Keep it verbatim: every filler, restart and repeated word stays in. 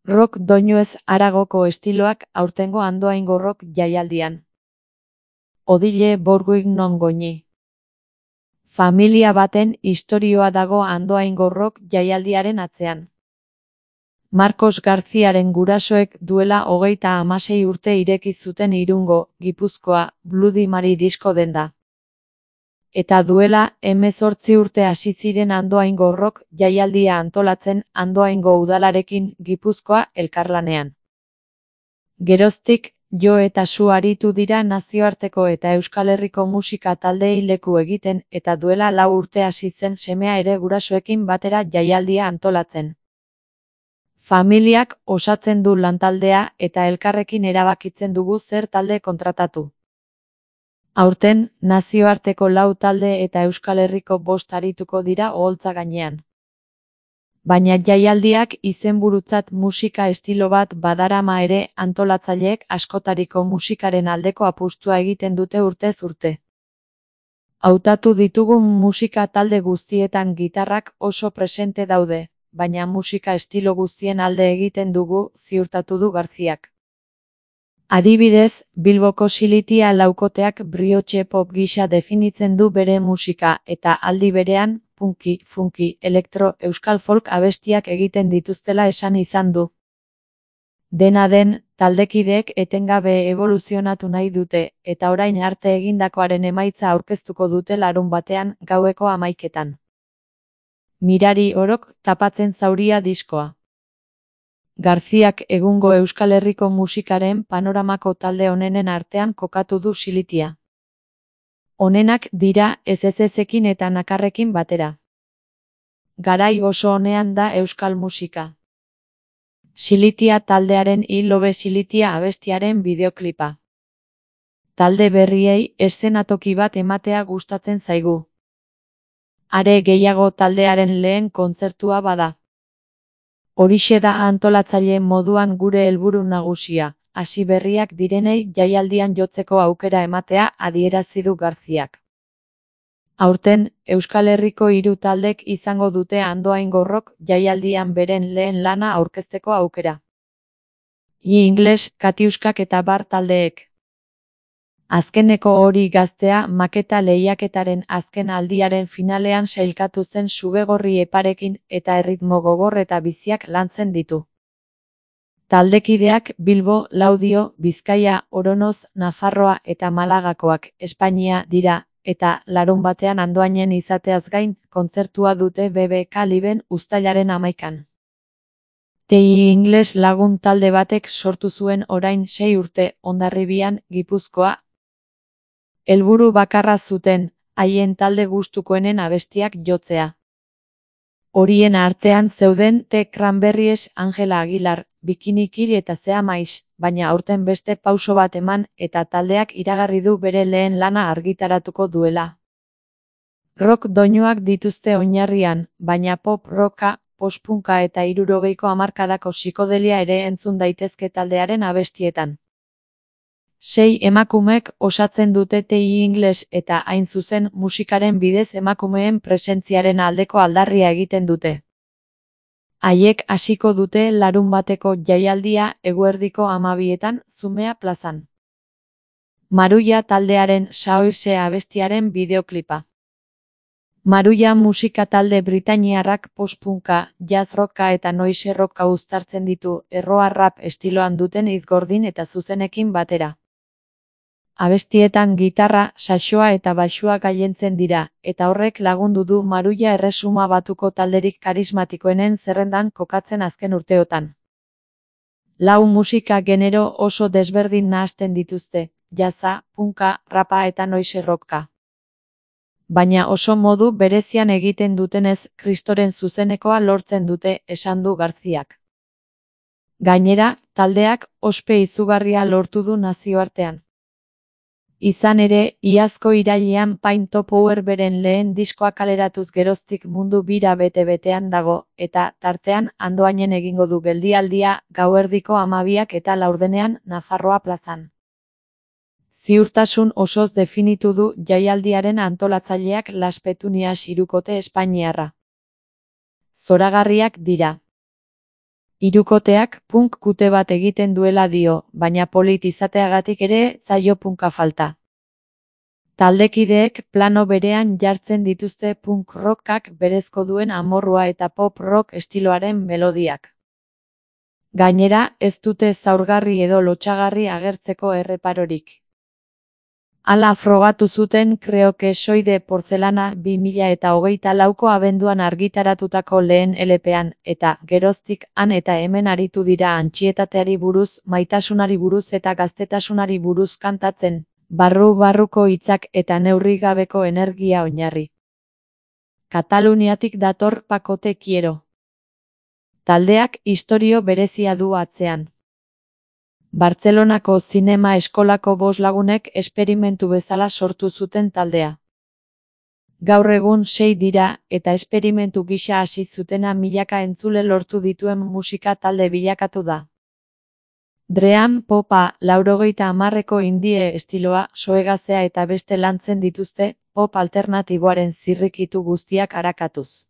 Rock doinuez haragoko estiloak aurtengo Andoaingo Rock jaialdian. Odile Borguig non goñi. Familia baten istorioa dago Andoaingo Rock jaialdiaren atzean. Marcos Garziaren gurasoek duela hogeita hamasei urte ireki zuten Irungo, Gipuzkoa, Bloody Mary disko denda. Eta duela hemezortzi urte hasi ziren Andoaingo Rock jaialdia antolatzen Andoaingo udalarekin Gipuzkoa elkarlanean. Geroztik, jo eta su aritu dira nazioarteko eta Euskal Herriko musika taldeei leku egiten eta duela lau urte hasi zen semea ere gurasoekin batera jaialdia antolatzen. Familiak osatzen du lantaldea eta elkarrekin erabakitzen dugu zer talde kontratatu. Aurten, nazioarteko lau talde eta Euskal Herriko bost arituko dira oholtza gainean. Baina jaialdiak izenburutzat musika estilo bat badarama ere antolatzaileek askotariko musikaren aldeko apustua egiten dute urtez urte. Hautatu ditugun musika talde guztietan gitarrak oso presente daude, baina musika estilo guztien alde egiten dugu, ziurtatu du Garziak. Adibidez, Bilboko Silitia laukoteak brioche pop gisa definitzen du bere musika eta aldi berean, punky, funky, elektro, euskal folk abestiak egiten dituztela esan izan du. Dena den, taldekideek etengabe evoluzionatu nahi dute, eta orain arte egindakoaren emaitza aurkeztuko dute larun batean, gaueko hamaiketan. Mirari orok tapatzen zauria diskoa. Garziak egungo Euskal Herriko musikaren panoramako talde onenen artean kokatu du Silitia. Onenak dira ez ezezekin eta nakarrekin batera. Garai oso onean da euskal musika. Silitia taldearen I Love Silitia abestiaren bideoklipa. Talde berriei eszenatoki bat ematea gustatzen zaigu. Are gehiago taldearen lehen kontzertua bada. Horixe da antolatzaile moduan gure helburu nagusia, hasi berriak direnei jaialdian jotzeko aukera ematea adierazi du Garziak. Aurten, Euskal Herriko hiru taldek izango dute Andoaingo Rock jaialdian beren lehen lana aurkezteko aukera. I Ingles, Katiuskak eta Bar taldeek. Azkeneko hori gaztea maketa lehiaketaren azken aldiaren finalean sailkatu zen sugegorri eparekin eta erritmo gogor eta biziak lantzen ditu. Taldekideak Bilbo, Laudio, Bizkaia, Oronoz, Nafarroa eta Malagakoak, Espainia dira, eta larun batean Andoainen izateaz gain, kontzertua dute B B K Liben uztailaren hamaikan. T I Ingles lagun talde batek sortu zuen orain sei urte Hondarribian, Gipuzkoa. Helburu bakarra zuten, haien talde gustukoenen abestiak jotzea. Horien artean zeuden The Cranberries, Angela Aguilar, Bikini Kill eta Zea Maiz, baina aurten beste pauso bat eman eta taldeak iragarri du bere lehen lana argitaratuko duela. Rock doinuak dituzte oinarrian, baina pop rocka, postpunka eta hirurogeiko hamarkadako psikodelia ere entzun daitezke taldearen abestietan. Sei emakumek osatzen dute T I Ingles eta hain zuzen musikaren bidez emakumeen presentziaren aldeko aldarria egiten dute. Haiek hasiko dute larun bateko jaialdia eguerdiko hamabietan Zumea plazan. Maruia taldearen Saoirse abestiaren bideoklipa. Maruia musika talde britainiarrak postpunka, jazz rocka eta noise rocka uztartzen ditu erroa rap estiloan duten hitz-gordin eta zuzenekin batera. Abestietan gitarra, saxoa eta baxua gailentzen dira, eta horrek lagundu du Maruia Erresuma Batuko talderik karismatikoenen zerrendan kokatzen azken urteotan. Lau musika genero oso desberdin nahasten dituzte, jazza, punka, rapa eta noise rocka. Baina oso modu berezian egiten dutenez Kristoren zuzenekoa lortzen dute, esan du Garziak. Gainera, taldeak ospe izugarria lortu du nazioartean. Izan ere, iazko irailean Pain to Power beren lehen diskoa kaleratuz geroztik mundu bira bete-betean dago, eta tartean Andoainen egingo du geldialdia gauerdiko hamabiak eta laurdenean Nafarroa plazan. Ziurtasun osoz definitu du jaialdiaren antolatzaileak Las Petunias hirukote espainiarra. Zoragarriak dira. Hirukoteak punk kute bat egiten duela dio, baina polit izateagatik ere zaio punka falta. Taldekideek plano berean jartzen dituzte punk rockak berezko duen amorrua eta pop rock estiloaren melodiak. Gainera, ez dute zaurgarri edo lotsagarri agertzeko erreparorik. Hala frogatu zuten Creo que soy de porcelana bi mila eta hogeita lauko abenduan argitaratutako lehen L P-an, eta geroztik han eta hemen aritu dira antsietateari buruz, maitasunari buruz eta gaztetasunari buruz kantatzen, barru-barruko hitzak eta neurri gabeko energia oinarri. Kataluniatik dator Paco te quiero. Taldeak istorio berezia du atzean. Bartzelonako zinema eskolako bost lagunek esperimentu bezala sortu zuten taldea. Gaur egun sei dira, eta esperimentu gisa hasi zutena milaka entzule lortu dituen musika talde bilakatu da. Dream popa, laurogeita hamarreko indie estiloa, soegazea eta beste lantzen dituzte, pop alternatiboaren zirrikitu guztiak arakatuz.